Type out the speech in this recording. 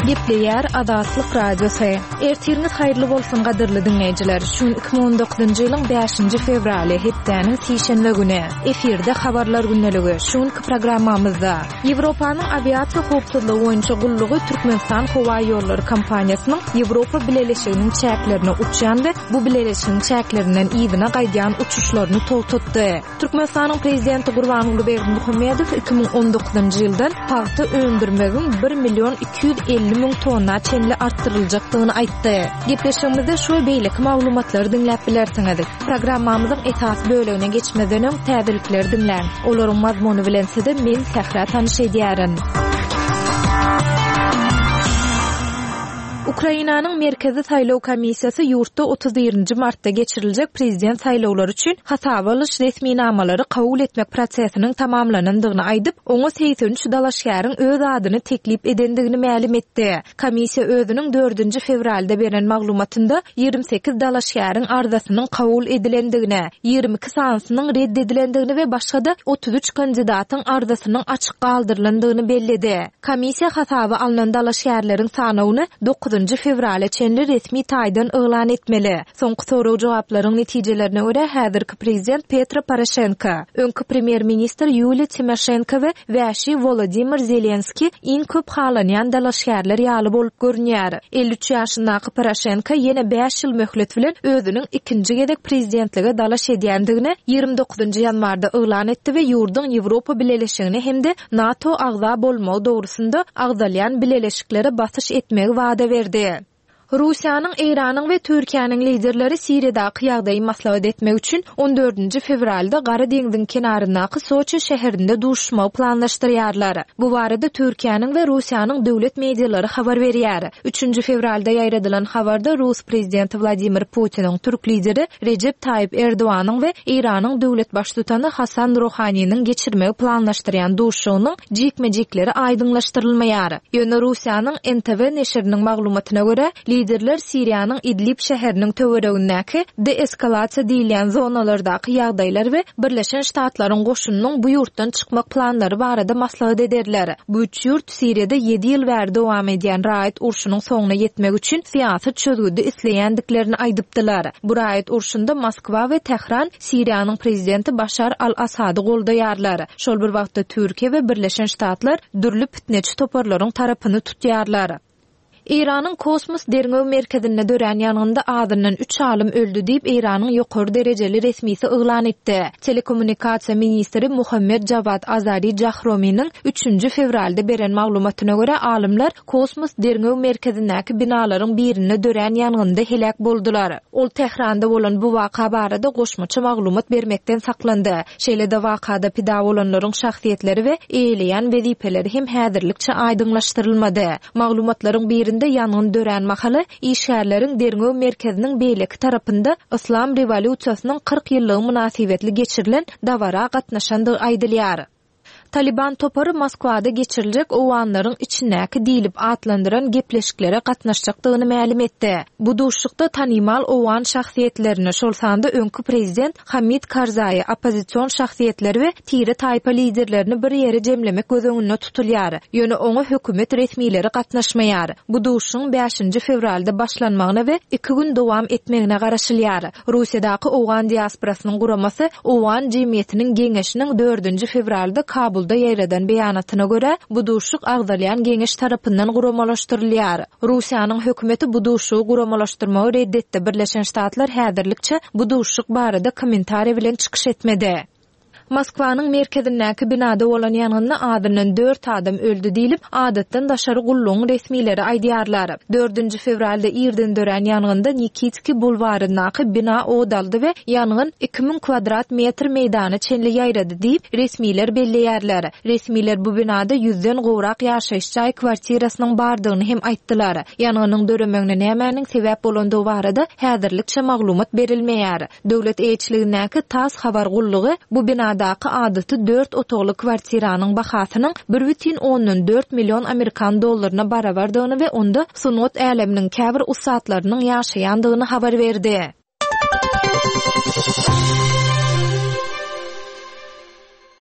Gepleýär Azatlyk Radiosy. Ertiriňiz haýyrly bolsun gadyrly diňleýjiler. Şu gün 2019-njy ýylyň 5-nji fewraly, hepdäniň sişenbe güni. Efirde habarlar gündeligi. Şu günki programmamyzda Ýewropanyň awiasiýa howpsuzlygy boýunça gullugy Türkmenistan howaýollary kompaniýasynyň Ýewropa Bileleşiginiň çäklerine uçýan we bu bileleşigiň çäklerinden yzyna gaýdýan uçuşlaryny togtatdy. Türkmenistanyň Prezidenti Gurbanguly Berdimuhamedow 2019-njy ýyldan pagta öndürmegiň bir million 250 müň tonna çenli artdyryljakdygyny aýtdy. Gepleşigimizde şu we beýleki maglumatlary diňläp bilersiňiz. Programmamyzyň esasy bölegine geçmezden öň täzelikleri diňläň. Olaryň mazmuny bilen sizi men Sähra tanyş edýärin. Ukrainanyň Merkezi saýlaw komissiýasy ýurtda 31-nji martda geçiriljek prezident saýlawlary üçin hasaba alyş resminamalary kabul etmek prosesiniň tamamlanandygyny aýdyp, oňa 83 dalaşgäriň öz adyny teklip edendigini mälim etdi. Komissiýa özüniň dördünji fewralda beren maglumatynda 28 dalaşgäriň arzasynyň kabul edilendigini, 22 sanysynyň ret edilendigini we başga-da 33 kandidatyň arzasynyň açyk galdyrylandygyny belledi. Komissiýa hasaba alnan dalaşgärleriň sanawyny dokuzynjy fewrala çenli resmi taýdan yglan etmeli. Soňky sorag-jogaplaryň netijelerine görä, häzirki prezident Petro Poroşenko, öňki premýer-ministr Ýuliýa Timoşenko we wäşi Wolodymyr Zelenskiý iň köp halanýan dalaşgärler ýaly bolup görünýär. 53 ýaşyndaky Poroşenko ýene bäş ýyl möhlet bilen özüniň ikinji gezek prezidentlige dalaş edýändigini 29 ýanwarda yglan etdi we ýurduň Ýewropa Bileleşigine hem-de NATO agza bolmagy dogrusynda agzalýan bileleşiklere basyş etmegi wada berdi. Russiýanyň, Eýranyň we Türkiýäniň liderleri Siriýadaky ýagdaýy maslahat etmek üçin on dördünji fewralda Gara deňziň kenaryndaky Soçi şäherinde duşuşmagy planlaşdyrýarlar. Bu barada Türkiýäniň we Russiýanyň döwlet medialary habar berýär. Üçünji fewralda ýaýradylan habarda rus prezidenti Wladimir Putiniň türk lideri Rejep Taýyp Erdoganyň we Eýranyň döwlet baştutany Hasan Rohaniniň geçirmegi planlaşdyrýan duşuşygynyň jikme-jikleri aýdyňlaşdyrylmaýar. Ýöne Russiýanyň NTV neşiriniň maglumatyna görä, liderler Siriýanyň Idlib şäheriniň töweregindäki deeskalasiýa diýilýän zonalardaky ýagdaýlar we Birleşen Ştatlaryň goşunynyň bu ýurtdan çykmak planlary barada maslahat ederler. Bu üç ýurt Siriýada ýedi ýyl bäri dowam edýän raýat urşunyň soňuna ýetmek üçin syýasy çözgüdi isleýändiklerini aýdypdylar. Bu raýat urşunda Moskwa we Tähran Siriýanyň prezidenti Başar al-Assady goldaýarlar. Şol bir wagtda Türkiýe we Birleşen Ştatlar dürli pitneçi toparlaryň tarapyny tutýarlar. Eýranyň kosmos derňew merkezinde dörän ýangynda azyndan üç alym öldi diýip, Eýranyň ýokary derejeli resmisi yglan etdi. Telekommunikasiýa ministri Muhammed Jawad Azari Jahrominiň üçünji fewralda beren maglumatyna görä, alymlar kosmos derňew merkezindäki binalaryň birinde dörän ýangynda heläk boldular. Ol Tähranda bolan bu waka barada goşmaça maglumat bermekden saklandy. Şeýle-de wakada pida bolanlaryň şahsyýetleri we eýeleýän wezipeleri hem häzirlikçe aýdyňlaşdyrylmady. Maglumatlaryň birinde ýangyn dörän mahaly işgärleriň derňew merkeziniň beýleki tarapynda Yslam rewolýusiýasynyň 40 ýyllygy mynasybetli geçirilen dabara gatnaşandygy aýdylýar. Talyban topary Moskwada geçiriljek owganlaryň içindäki diýlip atlandyran gepleşiklere gatnaşjakdygyny mälim etdi. Bu duşuşykda tanymal owgan şahsyýetlerini, şol sanda öňki prezident Hamid Karzaýy, oppozision şahsyýetleri we tire-taýpa liderlerini bir ýere jemlemek göz öňünde tutulýar. Ýöne oňa hökümet resmileri gatnaşmaýar. Bu duşuşygyň bäşinji fewralda başlanmagyna we iki gün dowam etmegine garaşylýar. Russiýadaky owgan diasporasynyň guramasy Owgan jemgyýetiniň geňeşiniň dördünji fewralda Kabulda ýaýradan beýanatyna görä, bu duşuşyk agzalýan geňeş tarapyndan guramalaşdyrylýar. Russiýanyň hökümeti bu duşuşygy guramalaşdyrmagy red etdi, Birleşen Ştatlar häzirlikçe bu duşuşyk barada kommentariý bilen çykyş etmedi. Moskwanyň merkezindäki binada bolan ýangynda azyndan dört adam öldi diýlip, adatdan daşary gullugyň resmileri aýdýarlar. Dördünji fewralda irden dörän ýangynda Nikitskiý bulwaryndaky bina ot aldy we ýangyn 2000 kwadrat metr meýdana çenli ýaýrady diýip, resmiler belleýärler. Resmiler bu binada ýüzden gowrak ýaşaýyş jaý kwartirasynyň bardygyny hem aýtdylar. Ýangynyň döremegine nämäniň sebäp bolandygy barada häzirlikçe maglumat berilmeýär. Döwlet eýeçiligindäki tass habar gullugy bu binadaky adaty dört otagly kwartiranyň bahasynyň bir bütin ondan dört million amerikan dollaryna barabardygyny we onda sungat äleminiň käbir ussatlarynyň ýaşaýandygyny habar berdi.